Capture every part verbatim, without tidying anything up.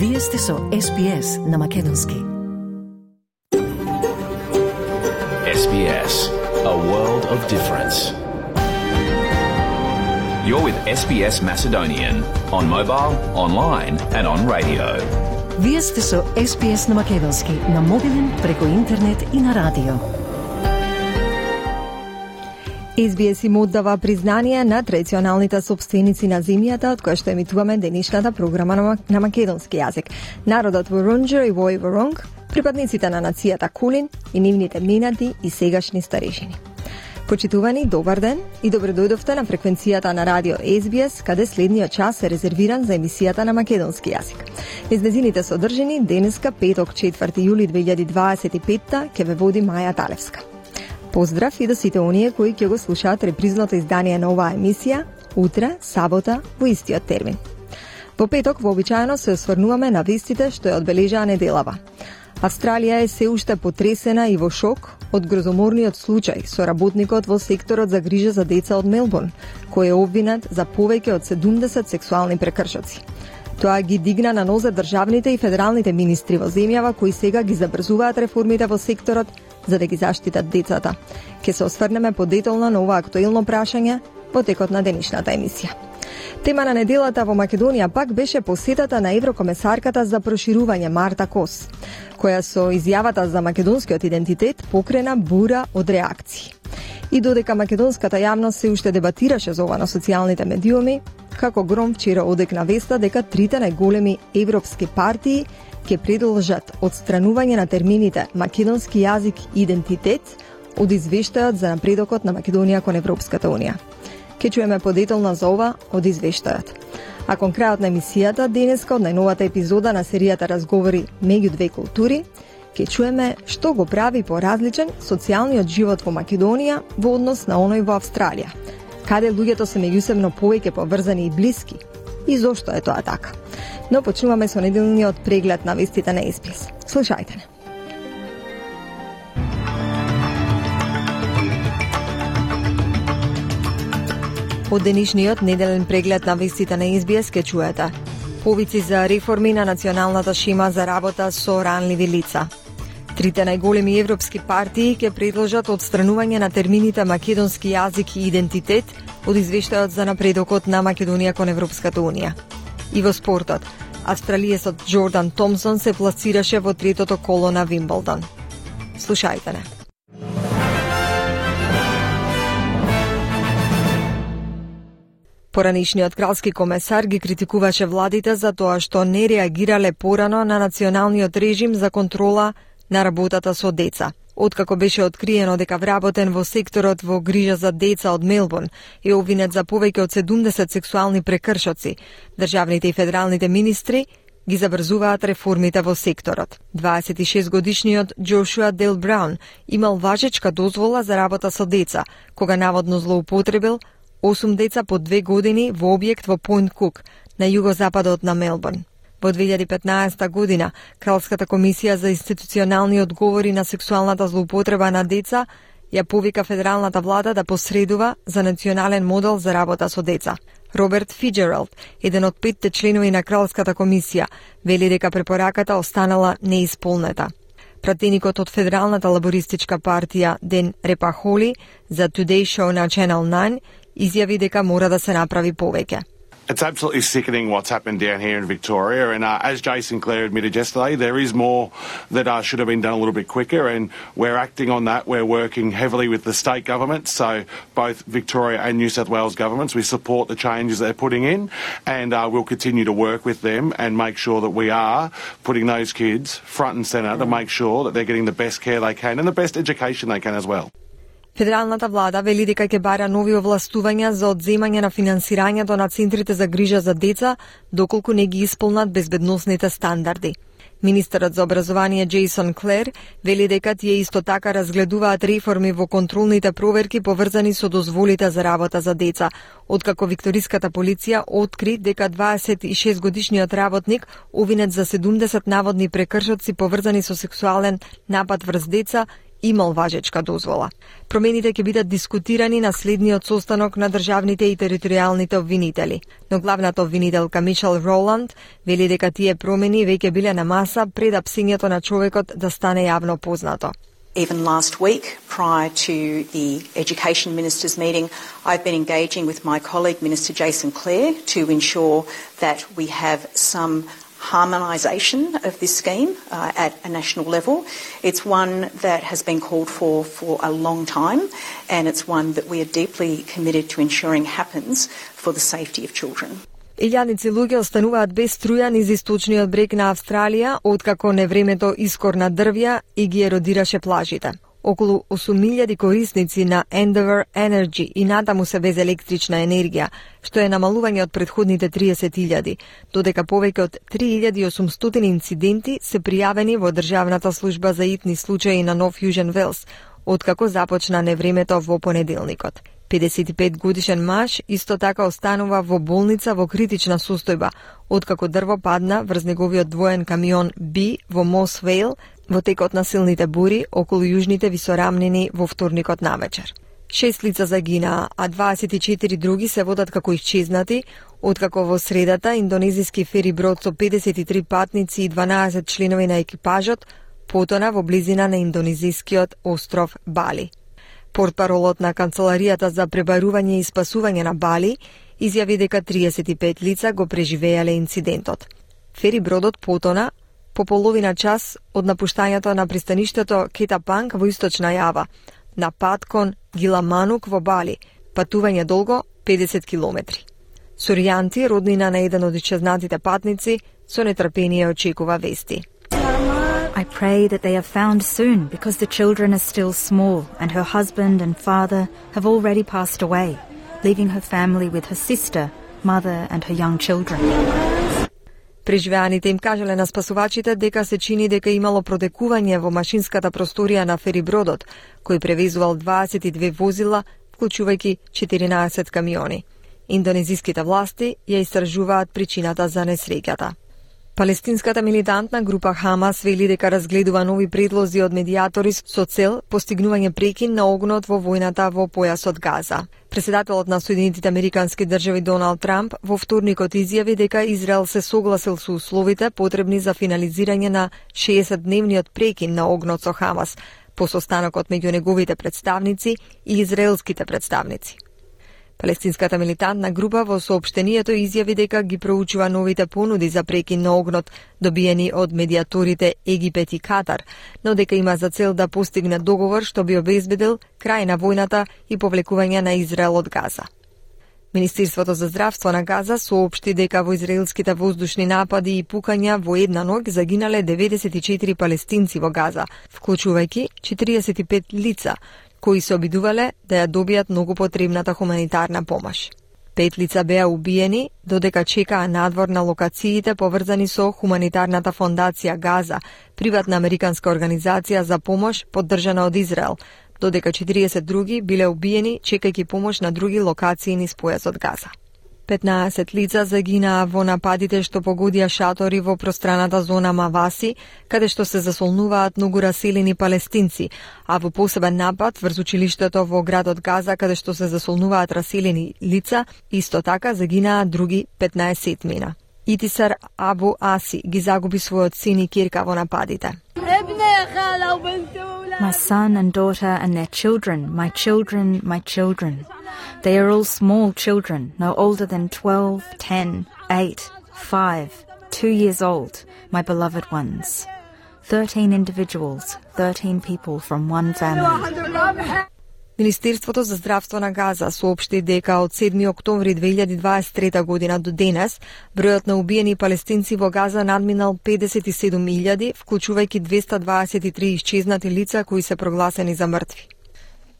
Вие сте со Ес Би Ес на Македонски. Ес Би Ес, a world of difference. You're with Ес Би Ес Macedonian on mobile, online and on radio. Вие сте со Ес Би Ес на Македонски, на мобилен, преку интернет и на радио. Ес Би Ес им оддава признание на традиционалните собственици на земјата, од која што емитуваме денешната програма на, на македонски јазик. Народот Ворунџер и Вој Воронг, припадниците на нацијата Кулин и нивните минати и сегашни старешини. Почитувани, добар ден и добро дојдовте на фреквенцијата на радио Ес Би Ес, каде следниот час е резервиран за емисијата на македонски јазик. Низ незините содржини, денеска, петок, четврти јули две илјади дваесет и петта, ќе ве води Маја Талевска. Поздрав и до сите оние кои ќе го слушаат репризното издание на оваа емисија, утре, сабота, во истиот термин. Во петок, вообичаено, се осврнуваме на вестите што ја одбележаа неделава. Австралија е се уште потресена и во шок од грозоморниот случај со работникот во секторот за грижа за деца од Мелбурн, кој е обвинет за повеќе од седумдесет сексуални прекршоци. Тоа ги дигна на нозе државните и федералните министри во земјава кои сега ги забрзуваат реформите во секторот за да ги заштитат децата. Ке се осврнеме подетално на ова актуелно прашање во текот на денешната емисија. Тема на неделата во Македонија пак беше посетата на еврокомесарката за проширување Марта Кос, која со изјавата за македонскиот идентитет покрена бура од реакции. И додека македонската јавност се уште дебатираше за ова на социјалните медиуми, како гром вчера одекна веста дека трите најголеми европски партии ќе продолжат одстранување на термините македонски јазик и идентитет од извештајот за напредокот на Македонија кон Европската унија. Ке чуеме подетално за ова од извештајот. А кон крајот на емисијата денеска од најновата епизода на серијата Разговори меѓу две култури, ке чуеме што го прави поразличен социјалниот живот во Македонија во однос на оној во Австралија, каде луѓето се меѓусебно повеќе поврзани и блиски, и зошто е тоа така. Но почнуваме со неделниот преглед на вестите на Ес Би Ес. Слушајте не. Од денешниот неделен преглед на вестите на Ес Би Ес ке чуете повици за реформи на националната шема за работа со ранливи лица. Трите најголеми европски партии ќе предложат одстранување на термините македонски јазик и идентитет од извештајот за напредокот на Македонија кон Европската унија. И во спортот, австралиецот Джордан Томсон се пласираше во третото коло на Вимблдон. Слушајте не. Поранишниот кралски комесар ги критикуваше владите за тоа што не реагирале порано на националниот режим за контрола на работата со деца. Откако беше откриено дека вработен во секторот во грижа за деца од Мелбурн е обвинет за повеќе од седумдесет сексуални прекршоци, државните и федералните министри ги забрзуваат реформите во секторот. дваесет и шест годишниот Джошуа Дел Браун имал важечка дозвола за работа со деца, кога наводно злоупотребил осум деца по две години во објект во Пойнт Кук, на југозападот на Мелбурн. Во две илјади петнаесета година, Кралската комисија за институционални одговори на сексуалната злоупотреба на деца ја повика федералната влада да посредува за национален модел за работа со деца. Роберт Фиджералд, еден од петте членови на Кралската комисија, вели дека препораката останала неисполнета. Пратеникот од Федералната лабористичка партија Ден Репахоли за Today Show на Channel nine изјави дека мора да се направи повеќе. It's absolutely sickening what's happened down here in Victoria, and uh, as Jason Clare admitted yesterday, there is more that uh, should have been done a little bit quicker, and we're acting on that. We're working heavily with the state governments, so both Victoria and New South Wales governments. We support the changes they're putting in, and uh, we'll continue to work with them and make sure that we are putting those kids front and centre to make sure that they're getting the best care they can and the best education they can as well. Федералната влада вели дека ќе бара нови овластувања за одземање на финансирањето на центрите за грижа за деца, доколку не ги исполнат безбедносните стандарди. Министерот за образование Джейсон Клер вели дека тие исто така разгледуваат реформи во контролните проверки поврзани со дозволите за работа за деца, откако викториската полиција откри дека дваесет и шест годишниот работник обвинет за седумдесет наводни прекршоци поврзани со сексуален напад врз деца имал важечка дозвола. Промените ќе бидат дискутирани на следниот состанок на државните и територијалните обвинители, но главната обвинителка Мишел Роланд вели дека тие промени веќе биле на маса пред апсењето на човекот да стане јавно познато. Even last week, prior to the Education Ministers' meeting, I've been engaging with my colleague, Minister Jason Clare, to ensure that we have some harmonisation of this scheme uh, at a national level. It's one that has been called for for a long time, and it's one that we are deeply committed to ensuring happens for the safety of children. Илјадници луѓе остануваат без струја низ источниот брег на Австралија, откако невремето искорна дрвја и ги еродираше плажите. Околу осум илјади корисници на Endeavour Energy и натаму се без електрична енергија, што е намалување од предходните триесет илјади, додека повеќе од три илјади и осумстотини инциденти се пријавени во Државната служба за итни случаи на Нов Јужен Велс, откако започна невремето во понеделникот. педесет и пет годишен маж исто така останува во болница во критична состојба, откако дрво падна врз неговиот двоен камион Би во Мос Вейл во текот на силните бури околу јужните висорамнини во вторникот навечер. Шест лица загинаа, а дваесет и четири други се водат како исчезнати, откако во средата индонезиски фери брод со педесет и три патници и дванаесет членови на екипажот потона во близина на индонезискиот остров Бали. Портпаролот на Канцеларијата за пребарување и спасување на Бали изјави дека триесет и пет лица го преживеале инцидентот. Фери бродот потона по половина час од напуштањето на пристаништето Кетапанг во источна Јава, на пат кон Гиламанук во Бали, патување долго педесет километри. Соријанти, роднина на еден од исчезнатите патници, со нетрпение очекува вести. I pray that they are found soon because the children are still small and her husband and father have already passed away, leaving her family with her sister, mother and her young children. Преживеаните им кажале на спасувачите дека се чини дека имало протекување во машинската просторија на ферибродот, кој превезувал дваесет и две возила, вклучувајќи четиринаесет камиони. Индонезиските власти ја истражуваат причината за несреќата. Палестинската милитантна група Хамас вели дека разгледува нови предлози од медијатори со цел постигнување прекин на огнот во војната во појасот Газа. Председателот на Соединетите Американски држави Доналд Трамп во вторникот изјави дека Израел се согласил со условите потребни за финализирање на шеесетдневниот прекин на огнот со Хамас по состанокот меѓу неговите представници и израелските представници. Палестинската милитантна група во соопштението изјави дека ги проучува новите понуди за прекин на огнот добиени од медијаторите Египет и Катар, но дека има за цел да постигне договор што би обезбедил крај на војната и повлекување на Израел од Газа. Министерството за здравство на Газа соопшти дека во израелските воздушни напади и пукања во една ноќ загинале деветдесет и четири палестинци во Газа, вклучувајќи четириесет и пет лица, кои се обидувале да ја добијат многу потребната хуманитарна помош. Пет лица беа убиени, додека чекаа надвор на локациите поврзани со Хуманитарната фондација Газа, приватна американска организација за помош поддржана од Израел, додека четириесет други биле убиени чекајќи помош на други локации низ појасот Газа. петнаесет лица загинаа во нападите што погодија шатори во пространата зона Маваси, каде што се засолнуваат многу раселени палестинци, а во посебен напад врз училиштето во градот Газа, каде што се засолнуваат раселени лица, исто така загинаа други петнаесетмина. Итисар Абу Аси ги загуби својот син и ќерка во нападите. My son and daughter and their children, my children, my children. They are all small children, no older than twelve, ten, eight, five, two years old, my beloved ones. Thirteen individuals, thirteen people from one family. Министерството за здравство на Газа соопшти дека од седми октомври две илјади дваесет и трета година до денес бројот на убиени палестинци во Газа надминал педесет и седум илјади, вклучувајќи двеста дваесет и три исчезнати лица кои се прогласени за мртви.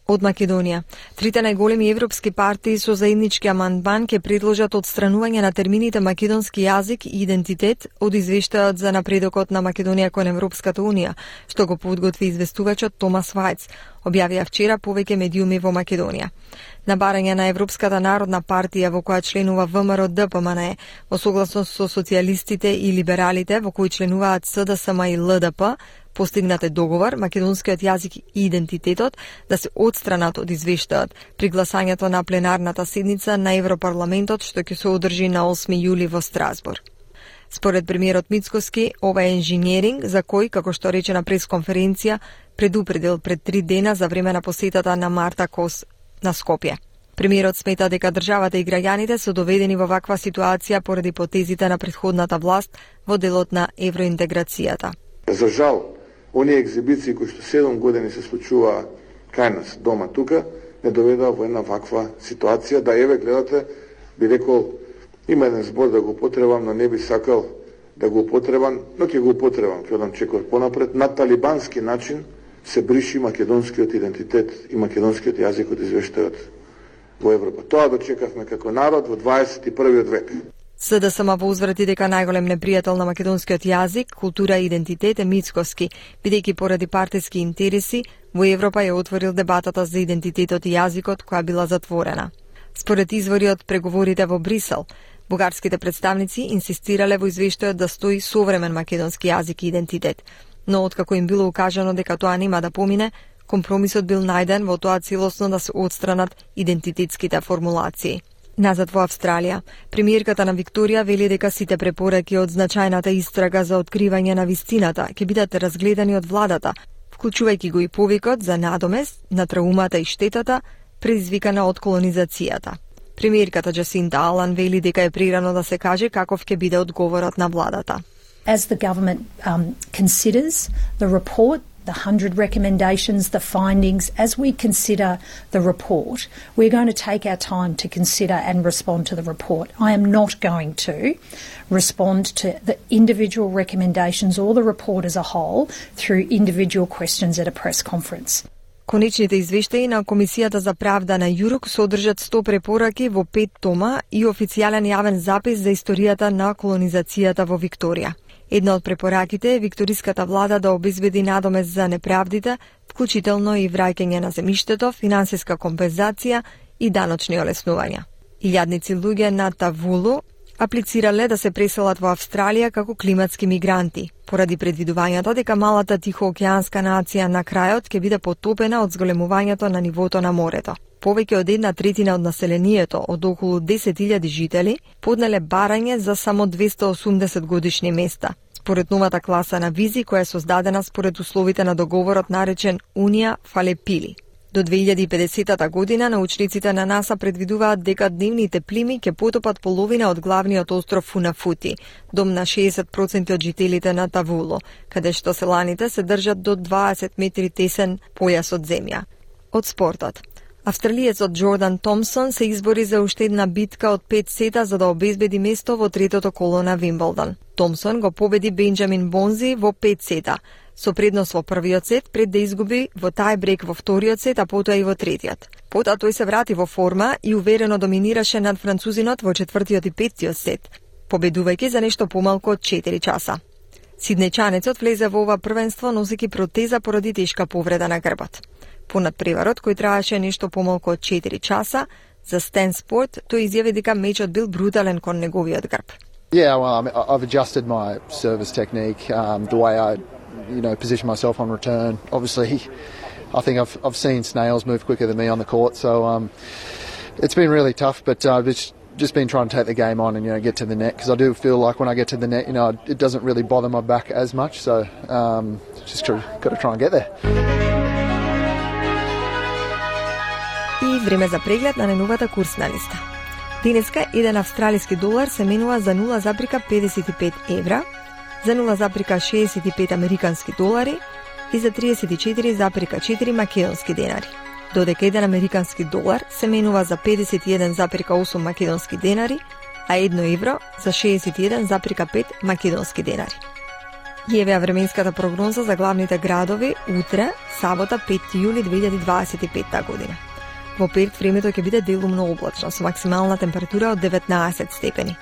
Од Македонија, трите најголеми европски партии со заеднички амандман ќе предложат отстранување на термините македонски јазик и идентитет од извештајот за напредокот на Македонија кон Европската унија, што го подготви известувачот Томас Вајц, објавија вчера повеќе медиуми во Македонија. На барање на Европската народна партија во која членува ВМРО Д П М Н Е, во согласност со социјалистите и либералите во кои членуваат С Д С М и Л Д П, Постигнат е договор македонскиот јазик и идентитетот да се отстранат од извештајот при гласањето на пленарната седница на Европарламентот што ќе се одржи на осми јули во Страсбург. Според премиерот Мицкоски, ова е инженеринг за кој, како што рече на пресконференција, предупредил пред три дена за време на посетата на Марта Кос на Скопје. Премиерот смета дека државата и граѓаните се доведени во ваква ситуација поради потезите на претходната власт во делот на евроинтеграцијата. За жал, оние екзибиции кои што седум години се случуваа кај нас дома тука, не доведаа во една ваква ситуација, да еве гледате, би рекол, има еден збор да го употребам, но не би сакал да го употребам, но ќе го употребам, ќе одам чекор понапред. На талибански начин се бриши македонскиот идентитет и македонскиот јазик од извештајот во Европа. Тоа дочекавме како народ во дваесет и првиот век. СДСМ возврати дека најголем непријател на македонскиот јазик, култура и идентитет е Мицкоски, бидејќи поради партиски интереси во Европа ја отворил дебатата за идентитетот и јазикот која била затворена. Според извори од преговорите во Брисел, бугарските представници инсистирале во извештајот да стои современ македонски јазик и идентитет, но откако им било укажано дека тоа нема да помине, компромисот бил најден во тоа целосно да се отстранат идентитетските формулации. Назад во Австралија, премиерката на Викторија вели дека сите препораки од значајната истрага за откривање на вистината ќе бидат разгледани од владата, вклучувајќи го и повикот за надомест на траумата и штетата предизвикана од колонизацијата. Премиерката Джасинта Алан вели дека е прирано да се каже каков ќе биде одговорот на владата. As the government um, considers the report, the one hundred recommendations, the findings, as we consider the report, we're going to take our time to consider and respond to the report. I am not going to respond to the individual recommendations or the report as a whole through individual questions at a press conference. Конечните извештаи на Комисијата за правда на ЮРОК содржат сто препораки во пет тома и официјален јавен запис за историјата на колонизацијата во Викторија. Една од препораките е викториската влада да обезбеди надомест за неправдите, вклучително и враќање на земјиштето, финансиска компензација и даночни олеснувања. Илјадници луѓе на Тавулу аплицирале да се преселат во Австралија како климатски мигранти, поради предвидувањето дека малата тихоокеанска нација на крајот ќе биде потопена од зголемувањето на нивото на морето. Повеќе од една третина од населението, од околу десет илјади жители, поднеле барање за само двесте и осумдесет годишни места, според новата класа на визи која е создадена според условите на договорот наречен Унија Фалепили. До две илјади и педесетата година научниците на НАСА предвидуваат дека дневните плими ќе потопат половина од главниот остров Фунафути, дом на шеесет проценти од жителите на Тавуло, каде што селаните се држат до дваесет метри тесен појас од земја. Од спортот. Австралиецот Джордан Томсон се избори за уште една битка од пет сета за да обезбеди место во третото коло на Вимблдон. Томсон го победи Бенџамин Бонзи во пет сета, со предност во првиот сет пред да изгуби во тајбрек во вториот сет, а потоа и во третиот. Потоа тој се врати во форма и уверено доминираше над французинот во четвртиот и петтиот сет, победувајќи за нешто помалку од четири часа. Сиднејчанецот влезе во ова првенство носејќи протеза поради тешка повреда на грбот. Понад преварот, кој траеше нешто помалку од четири часа, за Стен Спорт, тој изјави дека мечот бил брутален кон неговиот грб. Yeah, well, I mean, I've adjusted my service technique, um, the way I, you know, position myself on return. Obviously, I think I've I've seen snails move quicker than me on the court, so um, it's been really tough. But uh, it's just been trying to take the game on and you know get to the net, because I do feel like when I get to the net, you know, it doesn't really bother my back as much. So um, just got to try and get there. И време за преглед на најновата курсна листа. Денеска еден австралиски долар се менува за нула запирка педесет и пет евра, за нула запирка шеесет и пет американски долари и за триесет и четири запирка четири македонски денари. Додека еден американски долар се менува за педесет и еден запирка осум македонски денари, а едно евро за шеесет и еден запирка пет македонски денари. Јавеа временската прогноза за главните градови утре, сабота пети јули две илјади дваесет и петта година. Во Перт времето ќе биде делумно облачно со максимална температура од деветнаесет степени.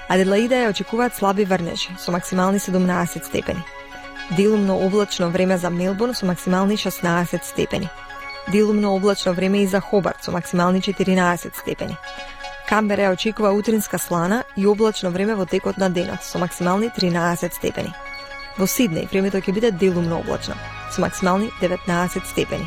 Аделаида ја очекуваат слаби врнежи со максимални седумнаесет степени. Делумно облачно време за Мелбурн со максимални шеснаесет степени. Делумно облачно време и за Хобарт со максимални четиринаесет степени. Камбера ја очекува утринска слана и облачно време во текот на денот со максимални тринаесет степени. Во Сиднеј времето ќе биде делумно облачно, со максимални деветнаесет степени.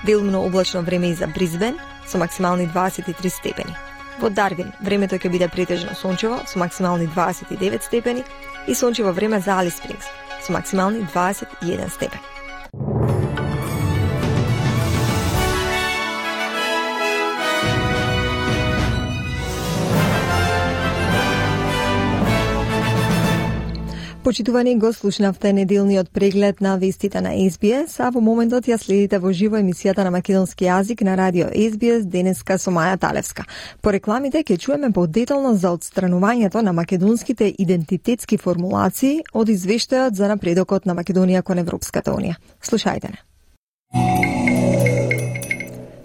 Делумно облачно време и за Бризбен, со максимални дваесет и три степени. Во Дарвин времето ќе биде претежно сончево, со максимални дваесет и девет степени, и сончево време за Алис Спрингс, со максимални дваесет и еден степен. Почитувани, го слушнавте неделниот преглед на вестите на Ес Би Ес, а во моментот ја следите во живо емисијата на македонски јазик на радио Ес Би Ес денеска со Маја Талевска. По рекламите ќе чуеме подетално за отстранувањето на македонските идентитетски формулации од извештајот за напредокот на Македонија кон Европската Унија. Слушајте не.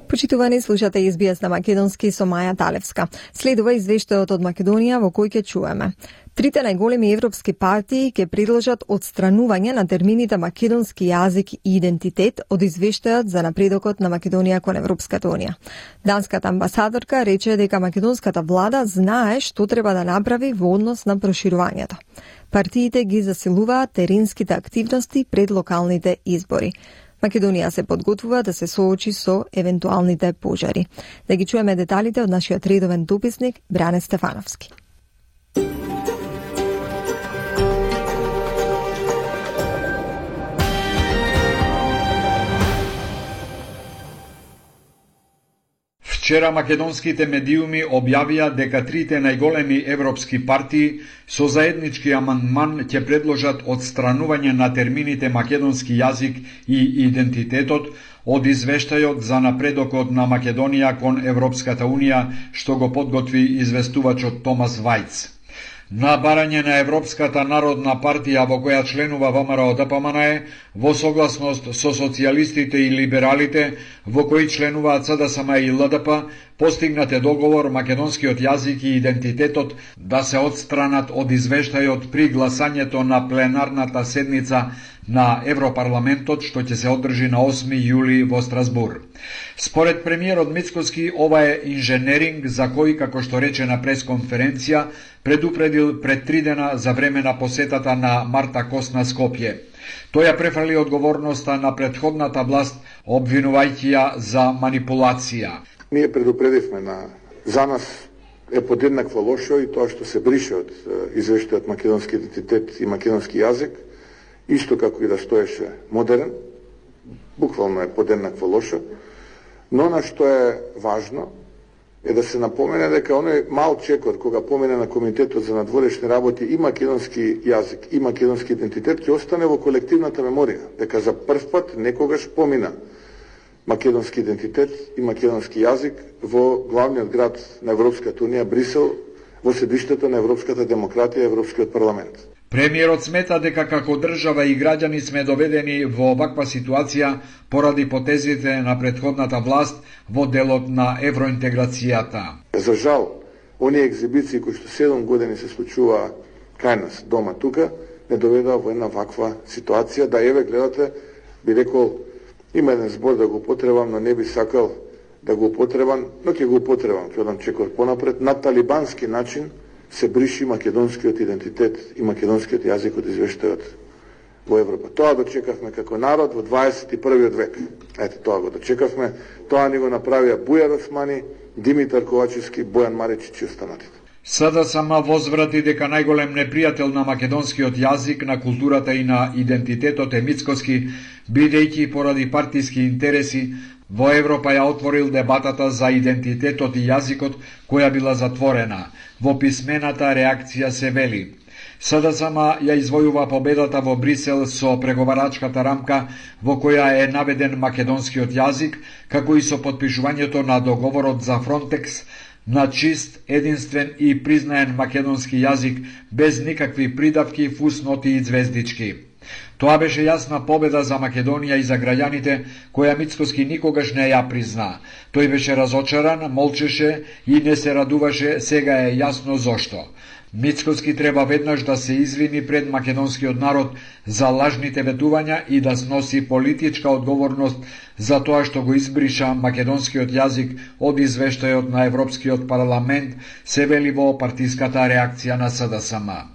Почитувани, слушате Ес Би Ес на македонски со Маја Талевска. Следува извештајот од Македонија во кој ќе чуеме. Трите најголеми европски партии ќе предложат отстранување на термините македонски јазик и идентитет од извештајот за напредокот на Македонија кон Европската Унија. Данската амбасадорка рече дека македонската влада знае што треба да направи во однос на проширувањето. Партиите ги засилуваат теренските активности пред локалните избори. Македонија се подготвува да се соочи со евентуалните пожари. Да ги чуеме деталите од нашиот редовен дописник Бране Стефановски. Вчера македонските медиуми објавија дека трите најголеми европски партии со заеднички амандман ќе предложат отстранување на термините македонски јазик и идентитетот од извештајот за напредокот на Македонија кон Европската Унија, што го подготви известувачот Томас Вајц. На барање на Европската народна партија во која членува ВМРО Д П М Н Е, во согласност со социјалистите и либералите, во кои членуваат С Д С М и Л Д П, постигнате договор македонскиот јазик и идентитетот да се отстранат од извештајот при гласањето на пленарната седница на Европарламентот, што ќе се одржи на осми јули во Страсбур. Според премиерот Мицкоски, ова е инженеринг за кој, како што рече на пресконференција, предупредил пред три дена за време на посетата на Марта Кос на Скопје. Тој ја префрли одговорноста на претходната власт, обвинувајќи ја за манипулација. Ние предупредивме на за нас е подеднакво лошо и тоа што се брише од извештајот македонски идентитет и македонски јазик, исто како и да стоеше модерен, буквално е подеднакво лошо, но на што е важно е да се напомене дека оној мал чекор кога помине на Комитетот за надворешни работи и македонски јазик и македонски идентитет ќе остане во колективната меморија, дека за прв пат некогаш помина македонски идентитет и македонски јазик во главниот град на Европската Унија, Брисел, во седиштето на европската демократија и Европскиот парламент. Премиерот смета дека како држава и граѓани сме доведени во оваква ситуација поради потезите на претходната власт во делот на евроинтеграцијата. За жал, оние екзибиции кои што седум години се случува кај нас дома тука, не доведува во една ваква ситуација, да еве гледате, би рекол, има еден збор да го употребам, но не би сакал да го употребам, но ќе го употребам, ќе одам чекор понапред, на талибански начин се бриши македонскиот идентитет и македонскиот јазик од извештајот во Европа. Тоа дочекавме како народ во дваесет и првиот век. Ете, тоа го дочекавме. Тоа ни го направија Бујар Османи, Димитар Ковачевски, Бојан Маричич и останатите. С Д С М возврати дека најголем непријател на македонскиот јазик, на културата и на идентитетот е Мицкоски, бидејќи поради партиски интереси во Европа ја отворил дебатата за идентитетот и јазикот, која била затворена. Во писмената реакција се вели: С Д С М ја извојува победата во Брисел со преговарачката рамка во која е наведен македонскиот јазик, како и со потпишувањето на договорот за Фронтекс на чист, единствен и признаен македонски јазик без никакви придавки, фусноти и звездички. Тоа беше јасна победа за Македонија и за граѓаните, која Мицкоски никогаш не ја призна. Тој беше разочаран, молчеше и не се радуваше, сега е јасно зошто. Мицкоски треба веднаш да се извини пред македонскиот народ за лажните ветувања и да сноси политичка одговорност за тоа што го избриша македонскиот јазик од извештајот на Европскиот парламент, се вели во партиската реакција на С Д С М.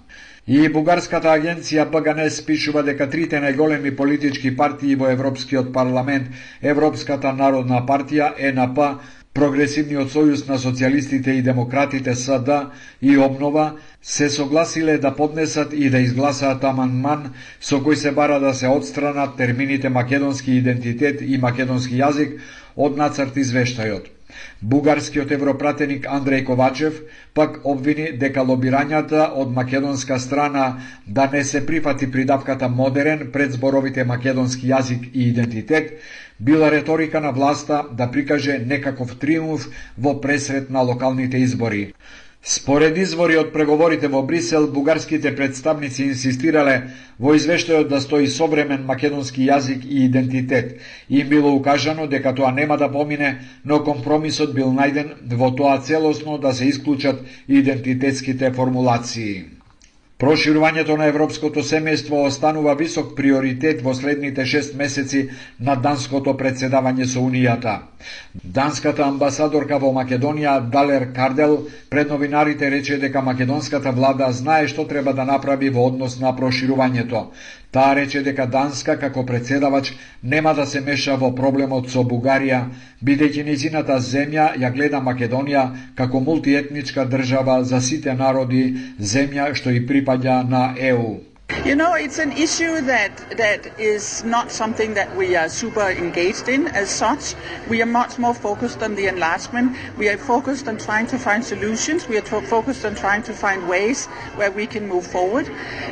И бугарската агенција Б Г Н спишува дека трите најголеми политички партии во Европскиот парламент, Европската народна партија, Е Н П, Прогресивниот сојуз на социјалистите и демократите С Д и Обнова се согласиле да поднесат и да изгласаат амандман со кој се бара да се отстранат термините македонски идентитет и македонски јазик од нацрт извештајот. Бугарскиот европратеник Андреј Ковачев пак обвини дека лобирањата од македонска страна да не се прифати придавката модерен пред зборовите македонски јазик и идентитет била реторика на власта да прикаже некаков триумф во пресрет на локалните избори. Според извори од преговорите во Брисел, бугарските представници инсистирале во извештајот да стои современ македонски јазик и идентитет. Им било укажано дека тоа нема да помине, но компромисот бил најден во тоа целосно да се исклучат идентитетските формулации. Проширувањето на европското семејство останува висок приоритет во следните шест месеци на данското председавање со Унијата. Данската амбасадорка во Македонија, Далер Кардел, пред новинарите рече дека македонската влада знае што треба да направи во однос на проширувањето. Таа рече дека Данска, како председавач, нема да се меша во проблемот со Бугарија, бидејќи нејзината земја ја гледа Македонија како мултиетничка држава за сите народи, земја што и припаѓа на Е У. You know, it's an issue that, that is not something that we are super engaged in as such. We are much more focused on the enlargement. We are focused on trying to find solutions. We are to- focused on trying to find ways where we can move forward.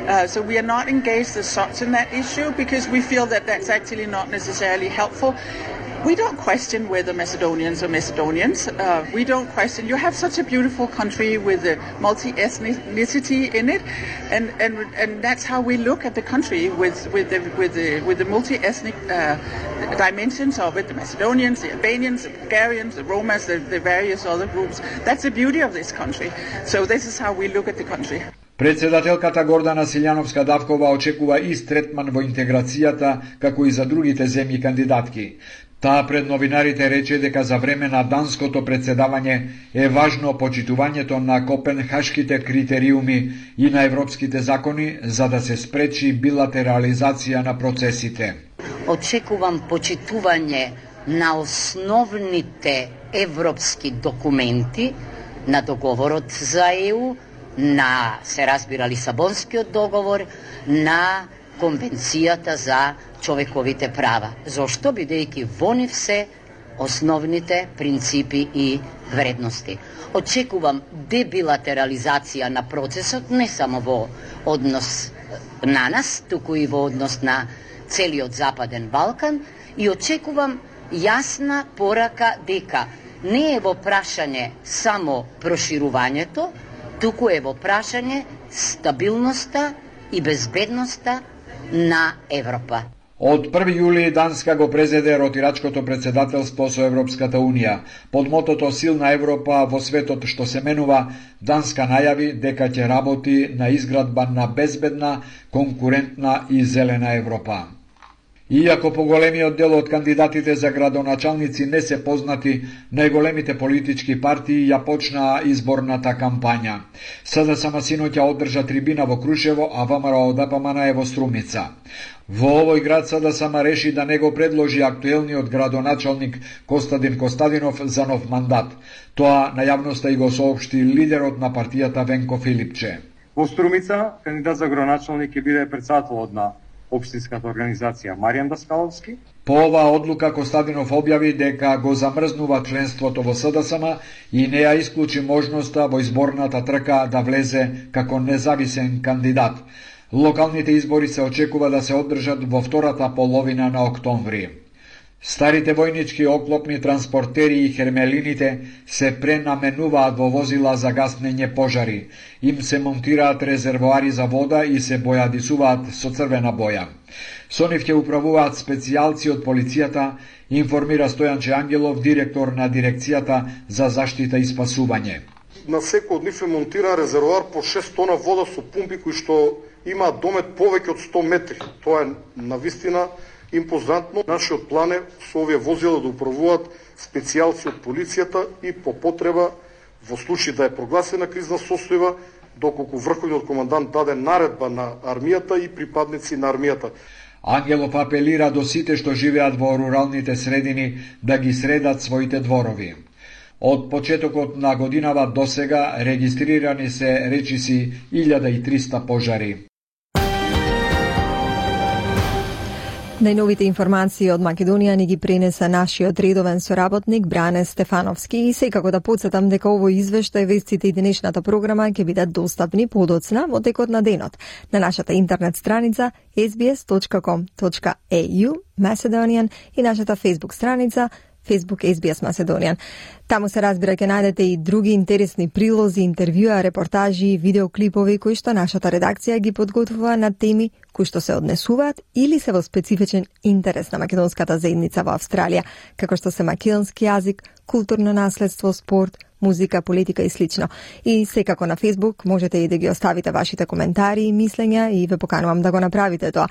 Uh, so we are not engaged as such in that issue because we feel that that's actually not necessarily helpful. We don't question whether Macedonians are Macedonians. Uh, we don't question. You have such a beautiful country with a multi-ethnicity in it, and, and and that's how we look at the country with with the with the with the multi-ethnic uh, dimensions of it. The Macedonians, the Albanians, the Bulgarians, the Romas, the, the various other groups. That's the beauty of this country. So this is how we look at the country. Председателката Гордана Силјановска-Давкова очекува ист третман во интеграцијата како и за другите земји кандидатки. Таа пред новинарите рече дека за време на данското председавање е важно почитувањето на копенхашките критериуми и на европските закони за да се спречи билатерализација на процесите. Очекувам почитување на основните европски документи, на договорот за Е У, на, се разбира, Лисабонскиот договор, на Конвенцијата за човековите права. Зошто? Бидејќи во нив се основните принципи и вредности. Очекувам дебилатерализација на процесот не само во однос на нас, туку и во однос на целиот Западен Балкан и очекувам јасна порака дека не е во прашање само проширувањето, туку е во прашање стабилноста и безбедноста на Европа. Од први јули Данска го презеде ротирачкото председателство со Европската Унија. Под мотото Силна Европа во светот што се менува, Данска најави дека ќе работи на изградба на безбедна, конкурентна и зелена Европа. Иако поголемиот дел од кандидатите за градоначалници не се познати, најголемите политички партии ја почнаа изборната кампања. С Д С М синоќа одржа трибина во Крушево, а В М Р О Д П М Н е во Струмица. Во овој град С Д С М реши да не го предложи актуелниот градоначалник Костадин Костадинов за нов мандат. Тоа на јавноста и го соопшти лидерот на партијата Венко Филипче. Во Струмица кандидат за градоначалник ќе биде председателот на општинската организација Маријан Даскаловски. По оваа одлука Костадинов објави дека го замрзнува членството во С Д С М и не ја исклучи можноста во изборната трка да влезе како независен кандидат. Локалните избори се очекува да се одржат во втората половина на октомври. Старите војнички оклопни транспортери и хермелините се пренаменуваат во возила за гаснење пожари. Им се монтираат резервоари за вода и се бојадисуваат со црвена боја. Со нив ќе управуваат специјалци од полицијата, информира Стојанче Ангелов, директор на дирекцијата за заштита и спасување. На секој од нив е монтиран резервоар по шест тона вода со пумпи кои што имаат домет повеќе од сто метри. Тоа е навистина импозантно. Нашиот план е со овие возила да управуваат специјалци од полицијата и по потреба, во случај да е прогласена кризна состојба, доколку врховниот командант даде наредба на армијата и припадници на армијата. Ангелов апелира до сите што живеат во руралните средини да ги средат своите дворови. Од почетокот на годинава до сега регистрирани се речиси илјада и триста пожари. Најновите информации од Македонија ни ги пренеса нашиот редовен соработник Бране Стефановски и секако да подсетам дека овој извештај, вестите и денешната програма ќе бидат достапни подоцна во текот на денот на нашата интернет страница ес би ес точка ком точка ей ю Macedonian и нашата Facebook страница Facebook ес би ес Macedonian. Таму се разбира ќе најдете и други интересни прилози, интервјуа, репортажи, видеоклипови кои што нашата редакција ги подготвува на теми кои што се однесуваат или се во специфичен интерес на македонската заедница во Австралија, како што се македонски јазик, културно наследство, спорт, музика, политика и слично. И секако на Facebook можете и да ги оставите вашите коментари и мислења и ве поканувам да го направите тоа.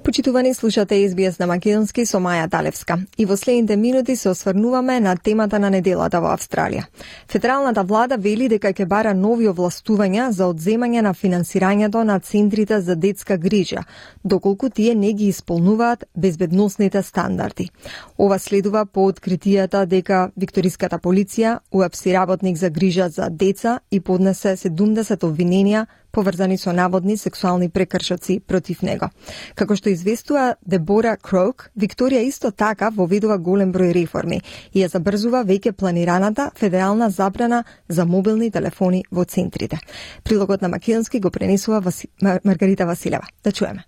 Почитувани, слушате ес би ес на македонски со Маја Талевска. И во следните минути се осврнуваме на темата на неделата во Австралија. Федералната влада вели дека ќе бара нови овластувања за одземање на финансирањето на центрите за детска грижа, доколку тие не ги исполнуваат безбедносните стандарди. Ова следува по откритијата дека викториската полиција уапси работник за грижа за деца и поднесе седумдесет обвиненија поврзани со наводни сексуални прекршоци против него. Како што известува Дебора Крок, Викторија исто така воведува голем број реформи и ја забрзува веќе планираната федерална забрана за мобилни телефони во центрите. Прилогот на македонски го пренесува Васи... Маргарита Василева. Да чуеме.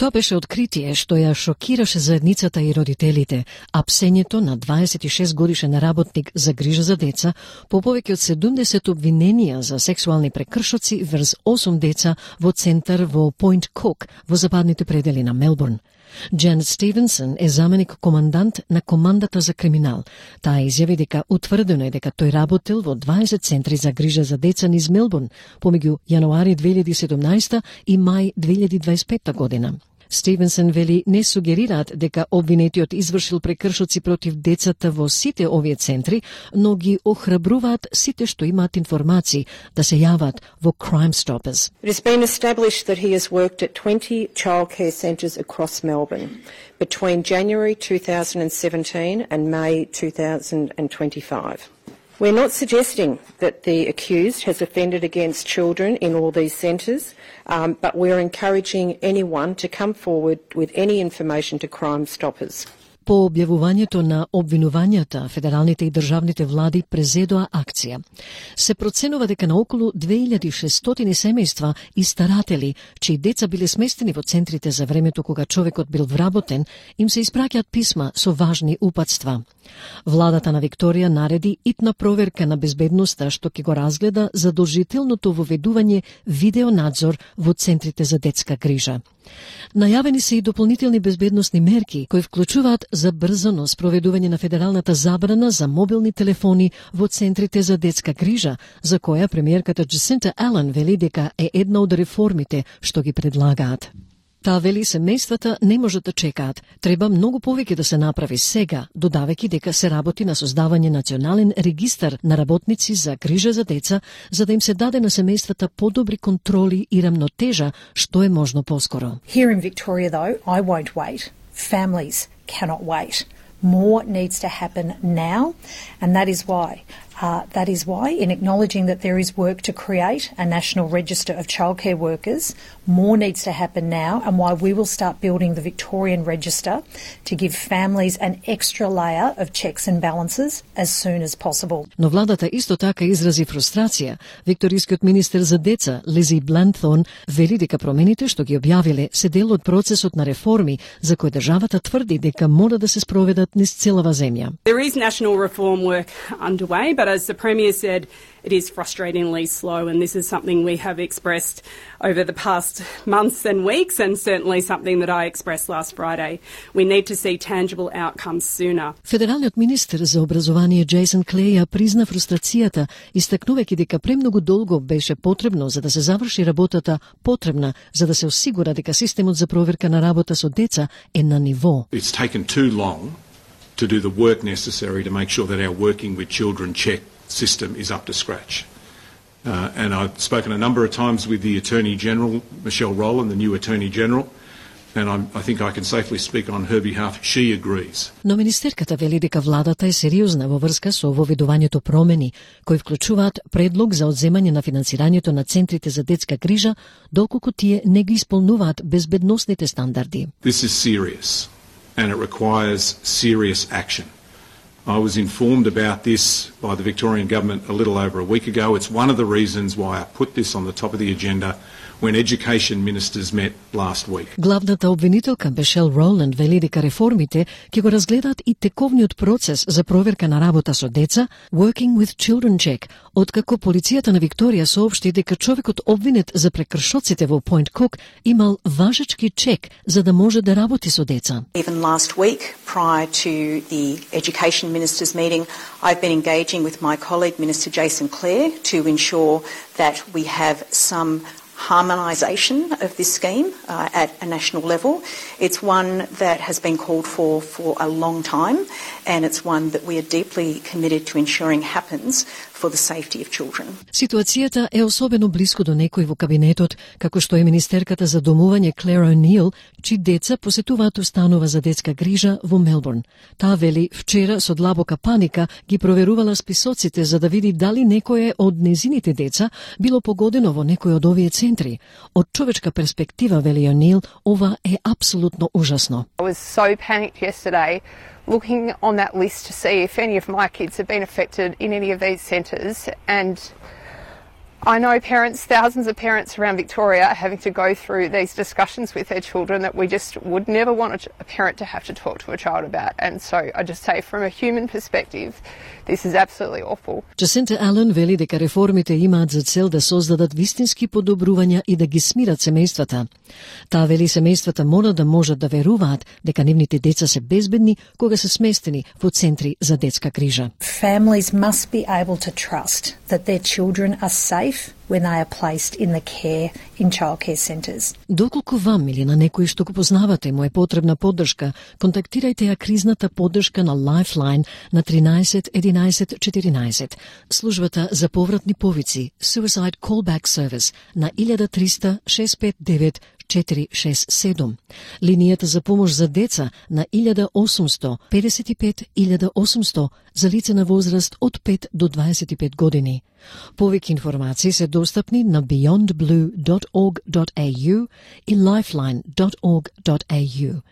Тоа беше откритие што ја шокираше заедницата и родителите, а псењето на дваесет и шест годишен работник за грижа за деца по повеќе од седумдесет обвиненија за сексуални прекршоци врз осум деца во центар во Пойнт Кук во западните предели на Мелбурн. Джанет Стивенсон е заменик командант на командата за криминал. Таа изјави дека утврдено е дека тој работел во дваесет центри за грижа за деца низ Мелбурн помеѓу јануари две илјади и седумнаесета и мај две илјади дваесет и петта година. Стивенсон вели не сугерираат дека обвинетиот извршил прекршоци против децата во сите овие центри, но ги охрабруваат сите што имаат информации да се јават во Crime Stoppers. It has been established that he has worked at twenty childcare centres across Melbourne between January two thousand seventeen and May two thousand twenty-five. We're not suggesting that the accused has offended against children in all these centres, um, but we're encouraging anyone to come forward with any information to Crime Stoppers. По објавувањето на обвинувањата, федералните и државните влади презедоа акција. Се проценува дека на околу две илјади и шестстотини семејства и старатели, чии деца биле сместени во центрите за времето кога човекот бил вработен, им се испраќаат писма со важни упатства. Владата на Викторија нареди итна проверка на безбедноста што ќе го разгледа задолжителното воведување видеонадзор во центрите за детска грижа. Најавени се и дополнителни безбедносни мерки кои вклучуваат забрзано спроведување на федералната забрана за мобилни телефони во центрите за детска грижа, за која премиерката Джасинта Ален вели дека е една од реформите што ги предлагаат. Таа вели семејствата не можат да чекаат. Треба многу повеќе да се направи сега, додавајќи дека се работи на создавање национален регистар на работници за грижа за деца, за да им се даде на семејствата подобри контроли и рамнотежа, што е можно поскоро. Here in Victoria though, I won't wait. Families cannot wait. More needs to happen now, and that is why Uh, that is why, in acknowledging that there is work to create a national register of childcare workers, more needs to happen now, and why we will start building the Victorian register to give families an extra layer of checks and balances as soon as possible. Но владата исто така изрази фрустрација. Викторискиот министер за деца, Лизи Бланthorne, вели дека промените што ги објавиле се дел од процесот на реформи за кои државата тврди дека мора да се спроведат низ целава земја. There is national reform work underway, but as the Premier said, it is frustratingly slow, and this is something we have expressed over the past months and weeks, and certainly something that I expressed last Friday. We need to see tangible outcomes sooner. Федералниот министер за образование Джейсон Клей ја призна фрустрацијата, истакнувајќи дека премногу долго беше потребно за да се заврши работата потребна за да се осигура дека системот за проверка на работа со деца е на ниво. It's taken too long to do the work necessary to make sure that our working with children check system is up to scratch. Uh, and I've spoken a number of times with the Attorney General, Michelle Rowland, the new Attorney General, and I'm, I think I can safely speak on her behalf. She agrees. Но министерката вели дека владата е сериозна во врска со воведувањето промени, кои вклучуваат предлог за одземање на финансирањето на центрите за детска грижа, доколку тие не ги исполнуваат безбедносните стандарди. This is serious, and it requires serious action. I was informed about this by the Victorian Government a little over a week ago. It's one of the reasons why I put this on the top of the agenda when education ministers met last week. Главната обвинителка Мишел Роланд вели дека реформите ќе го разгледаат и тековниот процес за проверка на работа со деца, Working with Children Check, откако полицијата на Викторија соопшти дека човекот обвинет за прекршоците во Point Cook имал важечки чек за да може да работи со деца. Even last week, prior to the education ministers meeting, I've been engaging with my colleague Minister Jason Clare to ensure that we have some harmonisation of this scheme uh, at a national level. It's one that has been called for for a long time, and it's one that we are deeply committed to ensuring happens for the safety of children. Ситуацијата е особено близко до некои во кабинетот, како што е министерката за домување Клер О'Нил, чии деца посетуваат установа за детска грижа во Мелбурн. Таа вели вчера со длабока паника ги проверувала списоците за да види дали некое од незините деца било погодено во некој од овие центри. Од човечка перспектива, вели О'Нил, ова е апсолутно ужасно. I was so panicked yesterday looking on that list to see if any of my kids have been affected in any of these centres, and I know parents, thousands of parents around Victoria are having to go through these discussions with their children that we just would never want a parent to have to talk to a child about. And so I just say from a human perspective, this is absolutely awful. Джасинта Ален вели дека реформите имаат за цел да создадат вистински подобрувања и да ги смират семејствата. Таа вели семејствата мора да можат да веруваат дека нивните деца се безбедни кога се сместени во центри за детска грижа. Families must be able to trust that their children are safe when they are placed in the care in childcare centres. Доколку вам или на некој што го познавате му е потребна поддршка, контактирајте ја кризната поддршка на Lifeline на тринаесет единаесет четиринаесет, службата за повратни повици Suicide Callback Service на илјада триста шест пет девет четири шест седум, линијата за помош за деца на илјада осумсто педесет и пет илјада осумсто за лица на возраст од пет до дваесет и пет години. Повеќе информации се достапни на beyond blue dot org dot a u и lifeline dot org dot a u.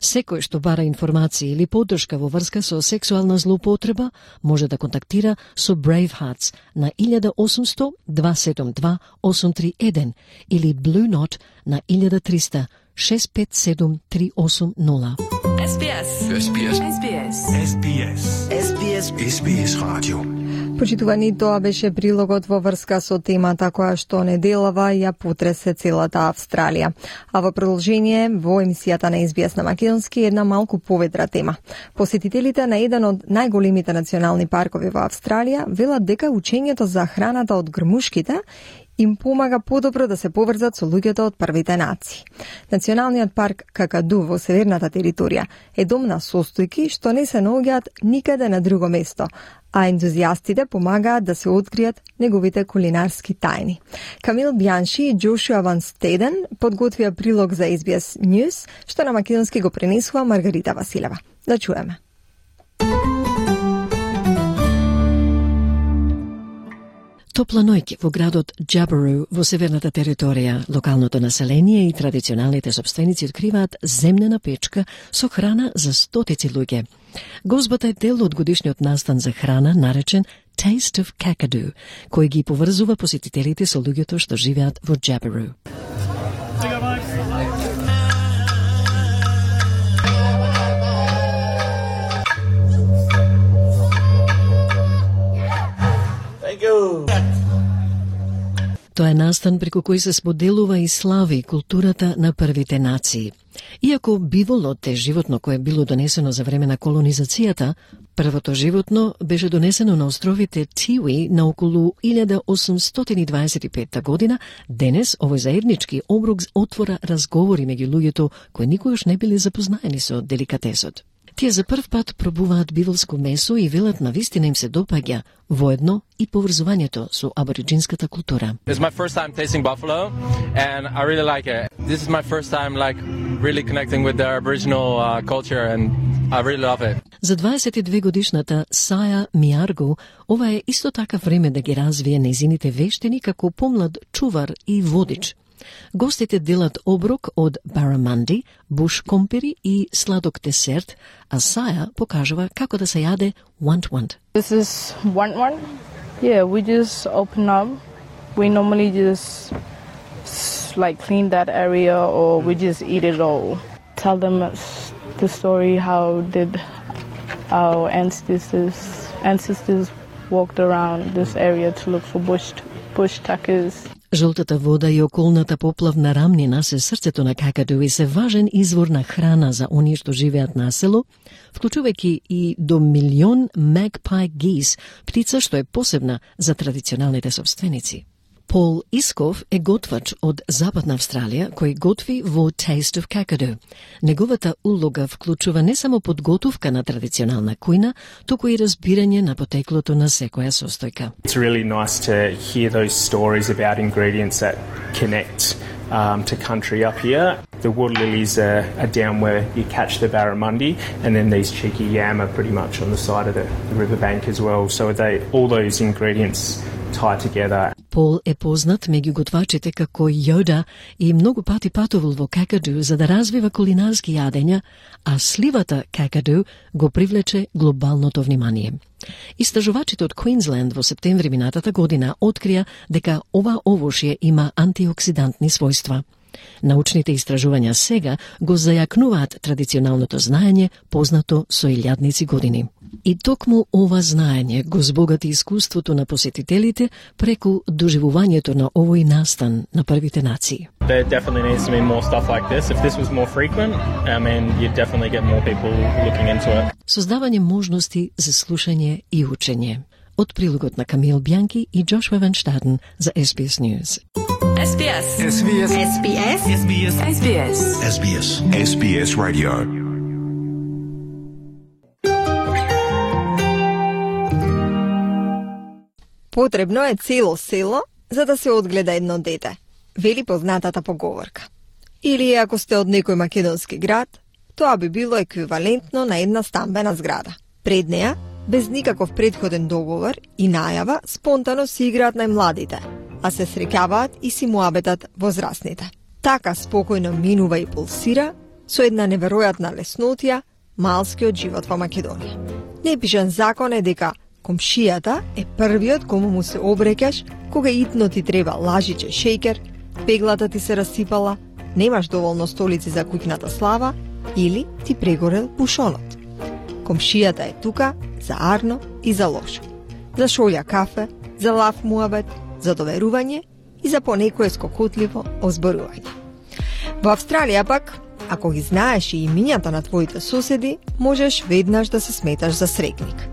Секој што бара информации или поддршка во врска со сексуална злоупотреба може да контактира со Brave Hearts на илјада осумсто дваесет седум два осум три еден или Blue Knot на илјада триста шест пет седум три осум нула. S B S. S B S. S B S. S B S. S B S. S B S радио. Почитувани, тоа беше прилогот во врска со темата која што неделава ја потресе целата Австралија. А во продолжение, во емисијата на С Б С на македонски, една малку поведра тема. Посетителите на еден од најголемите национални паркови во Австралија велат дека учењето за храната од грмушките им помага подобро да се поврзат со луѓето од првите нации. Националниот парк Какаду во северната територија е дом на состојки што не се наоѓаат никаде на друго место, а ентузијастите помагаат да се откријат неговите кулинарски тајни. Камил Бјанши и Джошуа Ван Стеден подготвија прилог за С Б С News, што на македонски го пренесува Маргарита Василева. Да чуеме. Топла ноќ во градот Джаберу во северната територија. Локалното население и традиционалните собственици откриваат земнена печка со храна за стотици луѓе. Гозбата е дел од годишниот настан за храна наречен Taste of Kakadu, кој ги поврзува посетителите со луѓето што живеат во Джаберу. Тоа е настан преку кој се споделува и слави културата на првите нации. Иако биволот е животно кое било донесено за време на колонизацијата, првото животно беше донесено на островите Тиуи на околу илјада осумстотини дваесет и петта година. Денес овој заеднички оброк отвора разговори меѓу луѓето кои никогаш не биле запознаени со деликатесот. Тие за прв пат пробуваат биволско месо и велат на вистина им се допаѓа, воедно и поврзувањето со абориджинската култура. It's my first time tasting buffalo and I really like it. This is my first time like really connecting with the Aboriginal uh, culture and I really love it. За дваесет и две годишната Саја Миарго, ова е исто така време да ги развие нејзините вештини како помлад чувар и водич. Гостите делат оброк од бараманди, буш компири и сладок десерт, а Саја покажува како да се јаде want-want. This is want-want. Yeah, we just open up. We normally just like clean that area or we just eat it all. Tell them the story how did our ancestors ancestors walked around this area to look for bush bush tuckers. Жолтата вода и околната поплавна рамнина се срцето на Какаду и се важен извор на храна за оние што живеат на село, вклучувајќи и до милион magpie geese, птица што е посебна за традиционалните собственици. Пол Исков е готвач од Западна Австралија кој готви во Taste of Kakadu. Неговата улога вклучува не само подготовка на традиционална кујна, туку и разбирање на потеклото на секоја состојка. It's really nice to hear those stories about ingredients that connect um, to country up here. The water lilies are, are down where you catch the barramundi, and then these cheeky yam are pretty much on the side of the, the riverbank as well. So they all those ingredients tie together. Пол е познат меѓу готвачите како Јода и многу пати патувал во Какаду за да развива кулинарски јадења, а сливата Какаду го привлече глобалното внимание. Истражувачите од Квинсленд во септември минатата година открија дека ова овошје има антиоксидантни својства. Научните истражувања сега го зајакнуваат традиционалното знаење, познато со илјадници години. И токму ова знаење го збогати искуството на посетителите преку доживувањето на овој настан на првите нации. There definitely needs to be more stuff like this. If this was more frequent, I mean, you'd definitely get more people looking into it. Создавање можности за слушање и учење. Од прилогот на Камил Бјанки и Джошуа Ван Штаден за Ес Би Ес News. Ес Би Ес. Ес Би Ес. Ес Би Ес. Ес Би Ес. Ес Би Ес. Ес Би Ес. Ес Би Ес Radio. Потребно е цело село за да се одгледа едно дете, вели познатата поговорка. Или ако сте од некој македонски град, тоа би било еквивалентно на една стамбена зграда. Пред неа, без никаков предходен договор и најава, спонтано си играат најмладите, а се среќаваат и си муабетат возрастните. Така спокојно минува и пулсира со една неверојатна леснотија малскиот живот во Македонија. Непишан закон е дека комшијата е првиот кому му се обреќаш кога итно ти треба лажиче шејкер, пеглата ти се расипала, немаш доволно столици за куќната слава или ти прегорел пушонот. Комшијата е тука за арно и за лошо, за шолја кафе, за лав муабет, за доверување и за понекое скокотливо озборување. Во Австралија пак, ако ги знаеш и имињата на твоите соседи, можеш веднаш да се сметаш за срекник.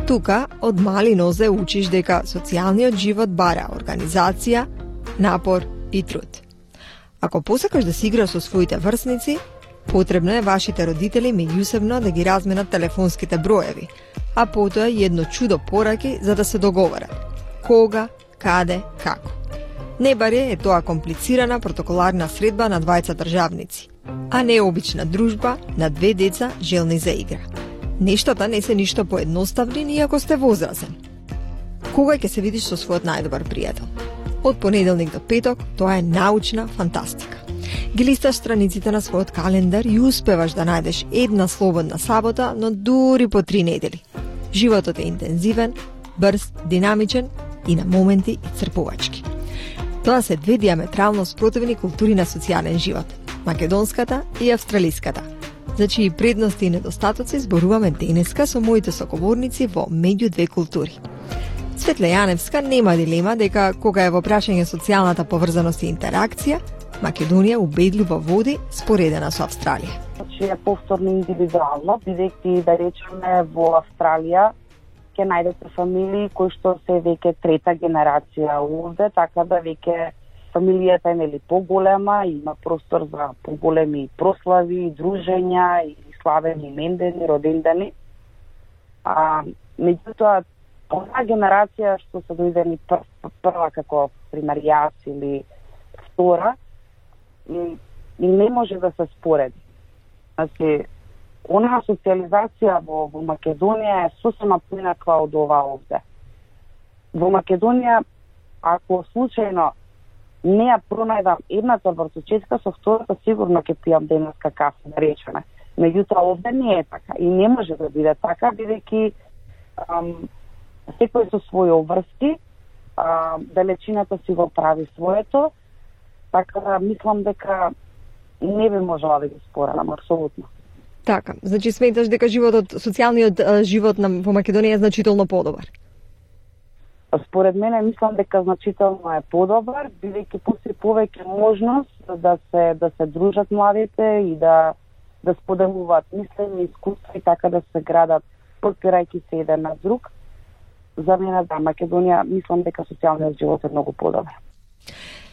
Тука од мали нозе учиш дека социјалниот живот бара организација, напор и труд. Ако посакаш да си играш со своите врсници, потребно е вашите родители меѓусебно да ги разменат телефонските броеви, а потоа и едно чудо пораки за да се договорат. Кога, каде, како. Не баре е тоа комплицирана протоколарна средба на двајца државници, а не обична дружба на две деца желни за игра. Нештата не се ништо поедноставни ни ако сте возрасен. Кога ќе се видиш со својот најдобар пријател? Од понеделник до петок тоа е научна фантастика. Ги листаш страниците на својот календар и успеваш да најдеш една слободна сабота, но дури по три недели. Животот е интензивен, брз, динамичен и на моменти исцрпувачки. Тоа се две диаметрално спротивни култури на социјален живот, македонската и австралиската, за чии предности и недостатоци зборуваме денеска со моите соговорници во Меѓу две култури. Светле Јаневска нема дилема дека кога е во прашање социјалната поврзаност и интеракција, Македонија убедливо води споредена со Австралија. Значи е повторно индивидуално, бидејќи да речеме во Австралија ќе најдете фамилии кои што се веќе трета генерација овде, така да веќе фамилијата е нели поголема, има простор за поголеми прослави, дружења и славени имендени, родендени. А меѓутоа онаа генерација што се дојдени пр, прва како пример јас или втора, и, и не може да се спореди. Значи, онаа социализација во, во Македонија е сосема поинаква од ова овде. Во Македонија, ако случајно не ја пронајдам едната вртучетка, со втората сигурно ќе пијам денеска кафе, да речеме. Меѓутоа овде не е така и не може да биде така, бидејќи секој со своји обврски, далечината си го прави своето, така да мислам дека не би можела да ги спорам, апсолутно. Така, значи сметаш дека животот, социјалниот живот на во Македонија е значително подобар? Според мене мислам дека значително е подобар, бидејќи постои повеќе можност да се да се дружат младите и да да споделуваат мислење, искуства и така да се градат подпирајќи се еден на друг. За мене да, Македонија мислам дека социјалниот живот е многу подобар.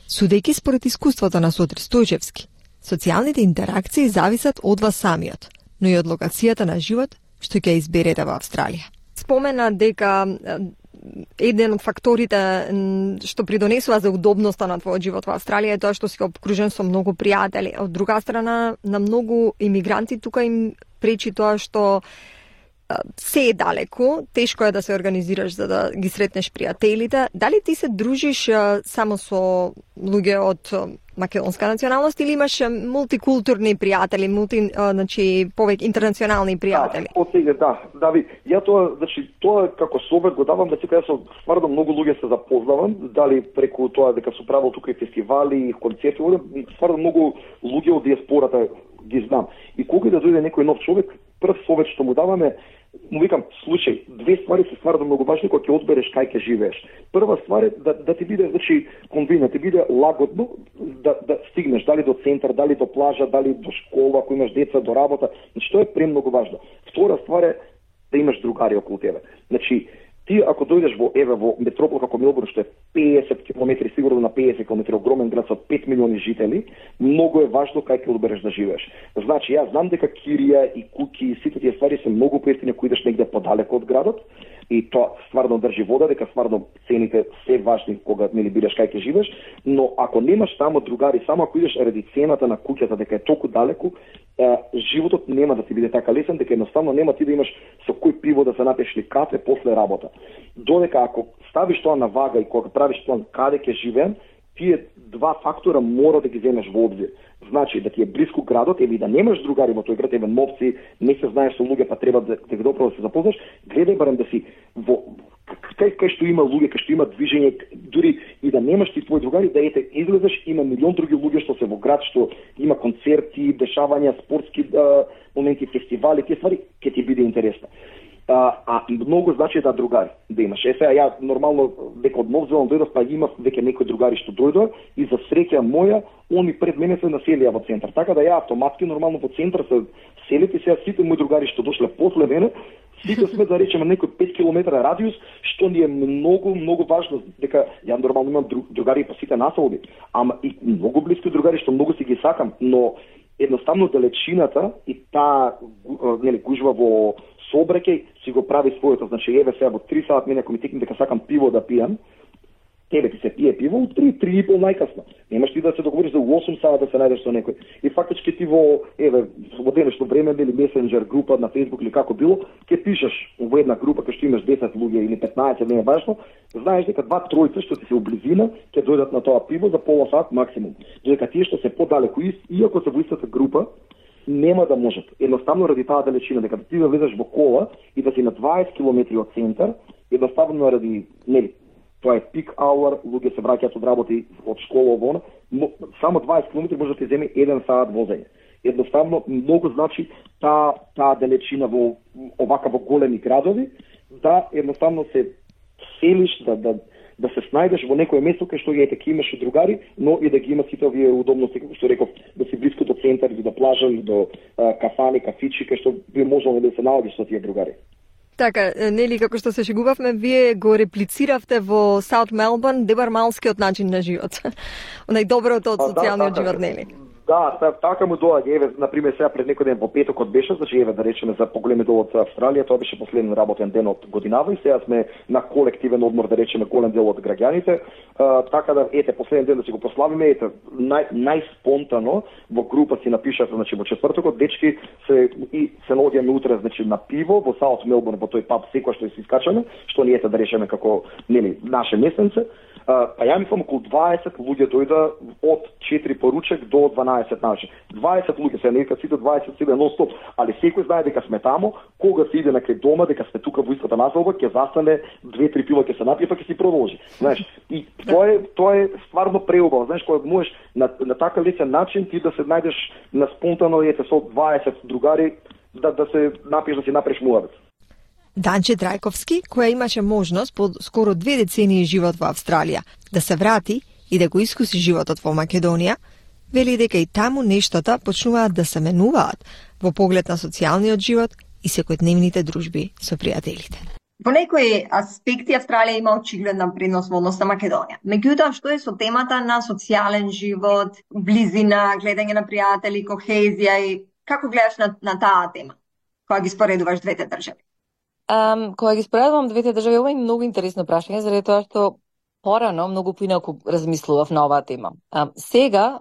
Судејќи според искуството на Сотир Стојчевски, социјалните интеракции зависат од вас самиот, но и од локацијата на живот што ќе изберете во Австралија. Спомена дека еден од факторите што придонесува за удобноста на твојот живот во Австралија е тоа што си обкружен со многу пријатели. Од друга страна, на многу имигранти тука им пречи тоа што се е далеко, тешко е да се организираш за да ги сретнеш пријателите. Дали ти се дружиш само со луѓе од македонска националност или имаш мултикултурни пријатели, мулти, значи повеќе интернационални пријатели? Да, од сега да, Дави, ја тоа, значи тоа како совет го давам, дека јас со стварно многу луѓе се запознавам, дали преку тоа дека су правил тука и фестивали и концерти, стварно многу луѓе од диаспората ги знам. И кога да дојде некој нов човек, прв совет што му даваме, му викам, случај, две ствари се стварно многу важни кога ќе одбереш кај ќе живееш. Прва ствар е да, да ти биде, значи, конвина, ти биде лагодно да, да стигнеш, дали до центар, дали до плажа, дали до школа, ако имаш деца, до работа. Значи, тоа е премногу важно. Втора ствар е да имаш другари околу тебе. Значи, ти ако дојдеш во еве во метропол како Мелбурн, што е петдесет километри, сигурно на петдесет километри, огромен град со пет милиони жители, многу е важно кај ќе одбереш да живееш. Значи, јас знам дека Кирија и Куки и сите тие ствари се многу поевтини ако идеш негде подалеку од градот, и тоа стварно држи вода, дека стварно цените се важни кога нели бидеш кај ќе живееш, но ако немаш тамо другари, само ако идеш ради цената на куќата дека е толку далеку, е, животот нема да ти биде така лесен, дека едноставно нема ти да имаш со кој пиво да се напиеш или кафе после работа. Додека ако ставиш тоа на вага и кога правиш план каде ќе живеем, тие два фактора мора да ги земеш во обзир. Значи да ти е близко градот или да немаш другари во тој град, еве новци, не се знаеш со луѓе, па треба да те добро да се запознаш, гледај барем да си во кај кај што има луѓе, кај што има движење, дури и да немаш ти твои другари, да ете излезеш, има милион други луѓе што се во град, што има концерти, дешавања, спортски а, моменти, фестивали, тие ствари ќе ти биде интересно. А, а многу значи да другари да имаш. Е сега ја нормално дека од Нов Зеланд дојдов, па имав веќе некои другари што дојдоа и за среќа моја, они пред мене се населија во центар. Така да ја автоматски нормално во центар се селите и сега сите мои другари што дошле после мене, сите сме да речеме некој пет километри радиус, што ни е многу многу важно, дека ја нормално имам другари по сите населби, ама и многу блиски другари што многу си ги сакам, но едноставно далечината и таа нели гужва во сообраќај си го прави своето. Значи еве сега во три сати мене ако ми текне дека сакам пиво да пијам, тебе ти се пие пиво у три, три и пол најкасно. Немаш ти да се договориш за осум сати да се најдеш со некој. И фактички ти во еве во денешно време или месенџер група на Facebook или како било, ќе пишеш во една група кај што имаш десет луѓе или петнаесет, не е важно, знаеш дека два тројца што ти се облизина ќе дојдат на тоа пиво за пола сат максимум. Додека тие што се подалеку, иако се во истата група, нема да можат. Едноставно ради таа далечина, дека ти да влезеш во кола и да си на дваесет километри од центар, едноставно ради, нели, тоа е пик hour, луѓе се враќаат од работа и од школа овона, само дваесет километри може да ти земе еден сат возење. Едноставно многу значи таа таа далечина во овака во големи градови, да едноставно се селиш, да, да, да се снајдеш во некое место кај што ете ќе имаш и другари, но и да ги има сите овие удобности, како што реков, да си блиску до центар или до плажа или до а, кафани, кафичи, кај што би можело да се наоѓаш со тие другари. Така, нели, како што се шегувавме, вие го реплициравте во Саут Мелбурн дебармалскиот начин на живот. Онај доброто од социјалниот да, живот, нели? Да, така му доаѓа, еве, например, сега пред некој ден по петокот беше, значи еве да речеме за поголеми дел од Австралија, тоа беше последен работен ден од годинава и сега сме на колективен одмор, да речеме, голем дел од граѓаните. А, така да ете последен ден да си го прославиме, ете нај најспонтано во група си напишав, значи во четвртокот дечки се и се наоѓаме утре, значи на пиво во Саут Мелбурн, во тој паб секој што се искачаме, што ни ете да речеме како нели наше месенце. Uh, па ја мислам околу дваесет луѓе дојда од четири поручек до дванаесет ночи. дваесет луѓе се нека сите дваесет сите нон стоп, али секој знае дека сме тамо, кога се иде на крај дома, дека сме тука во истата населба, ќе застане две-три пива ќе се напие, па ќе си продолжи. Знаеш, и тоа е тоа е стварно преубаво, знаеш, кога можеш на на така лесен начин ти да се најдеш на спонтано ете со дваесет другари да да се напиеш, да си направиш муабет. Данче Драјковски, која имаше можност по скоро две децении живот во Австралија да се врати и да го искуси животот во Македонија, вели дека и таму нештата почнуваат да се менуваат во поглед на социјалниот живот и секојдневните дружби со пријателите. Во некои аспекти Австралија има очигледна предност во однос на Македонија. Меѓутоа, што е со темата на социјален живот, близина, гледање на пријатели, кохезија и како гледаш на, на таа тема, кога ги споредуваш двете држави? Um, кога ги споредувам двете држави, ова е многу интересно прашање, заради тоа што порано многу поинаку размислував на оваа тема. Um, сега,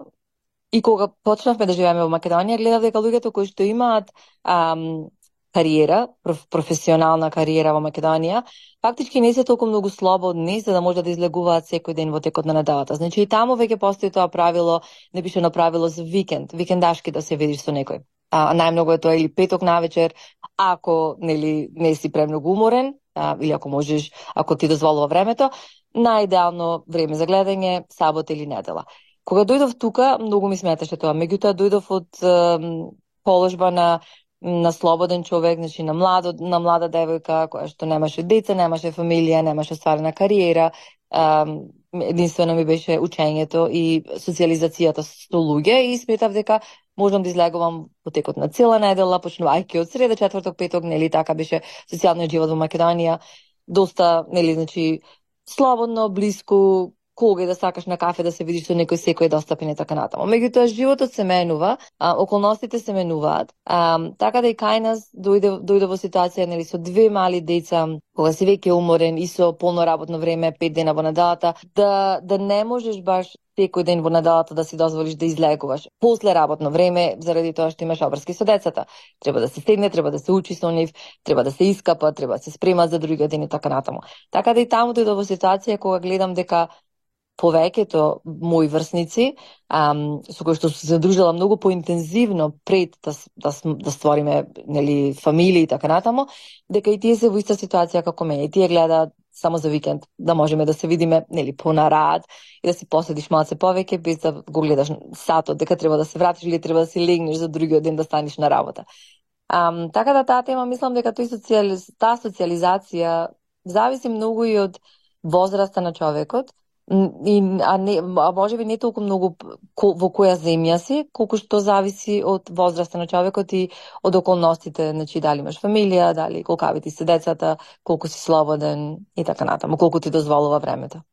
и кога почнавме да живееме во Македонија, гледав дека луѓето кои што имаат um, кариера, проф, професионална кариера во Македонија, фактички не се толку многу слободни за да можат да излегуваат секој ден во текот на неделата. Значи и таму веќе постои тоа правило, непишано правило за викенд, викендашки да се видиш со некој. А, најмногу е тоа или петок навечер, ако нели не си премногу уморен, а, или ако можеш, ако ти дозволува времето, најидеално време за гледање сабота или недела. Кога дојдов тука, многу ми сметаше тоа. Меѓутоа дојдов од е, положба на на слободен човек, значи на младо, на млада девојка која што немаше деца, немаше фамилија, немаше стварена кариера. Um, единствено ми беше учењето и социјализацијата со луѓе и сметав дека можам да излегувам во текот на цела недела, почнувајќи од среда, четврток, петок, нели така беше социјалниот живот во Македонија, доста, нели, значи слободно, блиску, кога да сакаш на кафе да се видиш со некој секој достапен и така натаму. Меѓутоа животот се менува, а, околностите се менуваат, а, така да и кај нас дојде дојде во ситуација нели со две мали деца, кога си веќе уморен и со полно работно време, пет дена во неделата, да да не можеш баш секој ден во неделата да си дозволиш да излегуваш после работно време, заради тоа што имаш обврски со децата. Треба да се седне, треба да се учи со нив, треба да се искапа, треба да се спрема за другиот ден и така натаму. Така да и таму дојде во ситуација кога гледам дека повеќето мои врсници, ам, со кои што се задружила многу поинтензивно пред да, да, да створиме нели, фамилии и така натаму, дека и тие се во иста ситуација како мене. И тие гледаат само за викенд, да можеме да се видиме нели, понарад и да си поседиш малце повеќе, без да го гледаш сатот, дека треба да се вратиш или треба да си легнеш за другиот ден да станеш на работа. Ам, така да таа тема, мислам дека тој социали... таа социализација зависи многу и од возраста на човекот, И, а, не, а може би не толку многу во која земја си, колку што зависи од возраста на човекот и од околностите, значи дали имаш фамилија, дали колкави ти се децата, колку си слободен и така натаму, колку ти дозволува времето.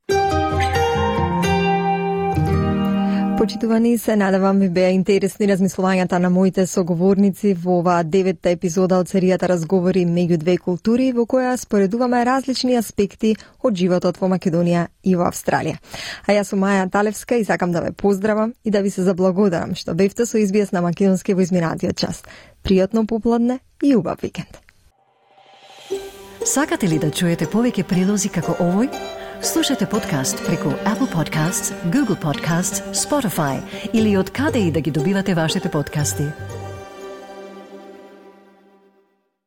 Почитувани, се надевам ви беа интересни размислувањата на моите соговорници во оваа деветта епизода од серијата Разговори меѓу две култури, во која споредуваме различни аспекти од животот во Македонија и во Австралија. А јас сум Маја Талевска и сакам да ве поздравам и да ви се заблагодарам што бевте со Ес Би Ес на македонски во изминатиот час. Пријатно попладне и убав викенд. Сакате ли да чуете повеќе прилози како овој? Слушате подкаст преку Apple Podcasts, Google Podcasts, Spotify или од каде и да ги добивате вашите подкасти.